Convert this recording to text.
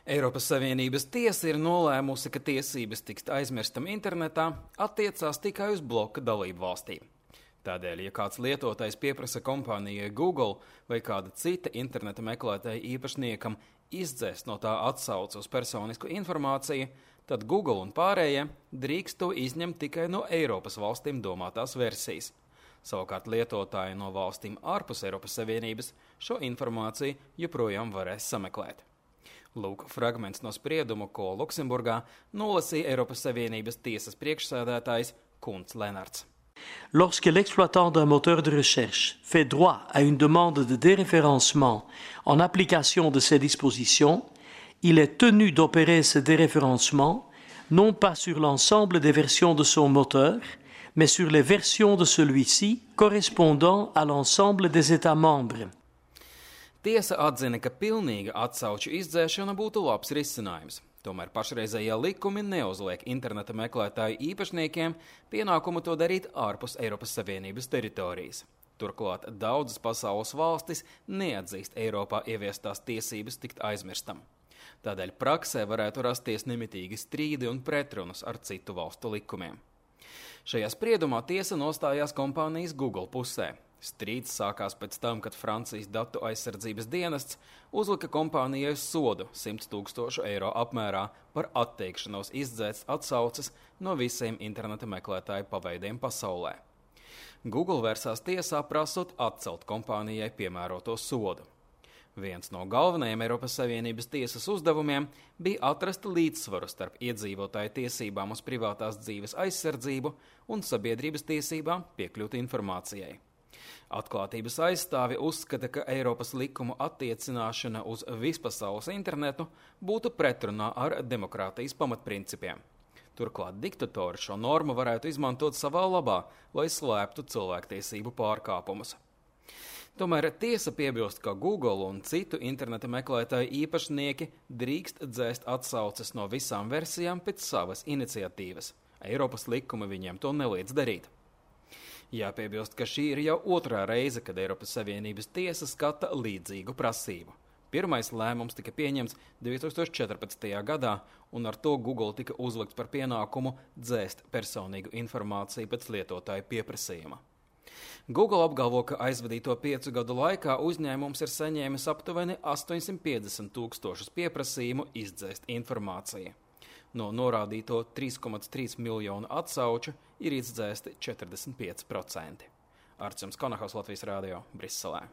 Eiropas Savienības tiesa ir nolēmusi, ka tiesības tikt aizmirstam internetā attiecās tikai uz bloka dalību valstīm. Tādēļ, ja kāds lietotājs pieprasa kompānijai Google vai kāda cita interneta meklētāja īpašniekam izdzēst no tā atsauci uz personisku informāciju, tad Google un pārējie drīkst to izņemt tikai no Eiropas valstīm domātās versijas. Savukārt lietotāji no valstīm ārpus Eiropas Savienības šo informāciju joprojām varēs sameklēt. Lūk, fragments no sprieduma, ko Luksemburgā nolasīja Eiropas Savienības tiesas priekšsēdētājs Kunts Lenarts. Lorsque l'exploitant d'un moteur de recherche fait droit à une demande de déréférencement en application de ces dispositions, il est tenu d'opérer ce déréférencement non pas sur l'ensemble des versions de son moteur, mais sur les versions de celui-ci correspondant à l'ensemble des États membres. Tiesa atzina, ka pilnīga atsauču izdzēšana būtu labs risinājums. Tomēr pašreizējie likumi neuzliek interneta meklētāju īpašniekiem pienākumu to darīt ārpus Eiropas Savienības teritorijas. Turklāt daudzas pasaules valstis neatzīst Eiropā ieviestās tiesības tikt aizmirstam. Tādēļ praksē varētu rasties nemitīgi strīdi un pretrunas ar citu valstu likumiem. Šajā spriedumā tiesa nostājās kompānijas Google pusē. Strīds sākās pēc tam, kad Francijas datu aizsardzības dienests uzlika kompānijai sodu 100 000 eiro apmērā par atteikšanos izdzēst atsauces no visiem interneta meklētāju paveidiem pasaulē. Google vērsās tiesā prasot atcelt kompānijai piemēroto sodu. Viens no galvenajiem Eiropas Savienības tiesas uzdevumiem bija atrast līdzsvaru starp iedzīvotāju tiesībām uz privātās dzīves aizsardzību un sabiedrības tiesībām piekļūt informācijai. Atklātības aizstāvi uzskata, ka Eiropas likumu attiecināšana uz vispasaules internetu būtu pretrunā ar demokrātijas pamatprincipiem. Turklāt diktatori šo normu varētu izmantot savā labā, lai slēptu cilvēktiesību pārkāpumus. Tomēr tiesa piebilst, ka Google un citu interneta meklētāju īpašnieki drīkst dzēst atsauces no visām versijām pēc savas iniciatīvas. Eiropas likumi viņiem to neliedz darīt. Jāpiebilst, ka šī ir jau otrā reize, kad Eiropas Savienības tiesa skata līdzīgu prasību. Pirmais lēmums tika pieņemts 2014. gadā, un ar to Google tika uzlikts par pienākumu dzēst personīgu informāciju pēc lietotāju pieprasījuma. Google apgalvo, ka aizvadīto 5 gadu laikā uzņēmums ir saņēmis aptuveni 850 000 pieprasījumu izdzēst informāciju. No norādīto 3,3 miljonu atsauču ir izdzēsti 45%. Arčuns Konahos, Latvijas Rādio, Briselē.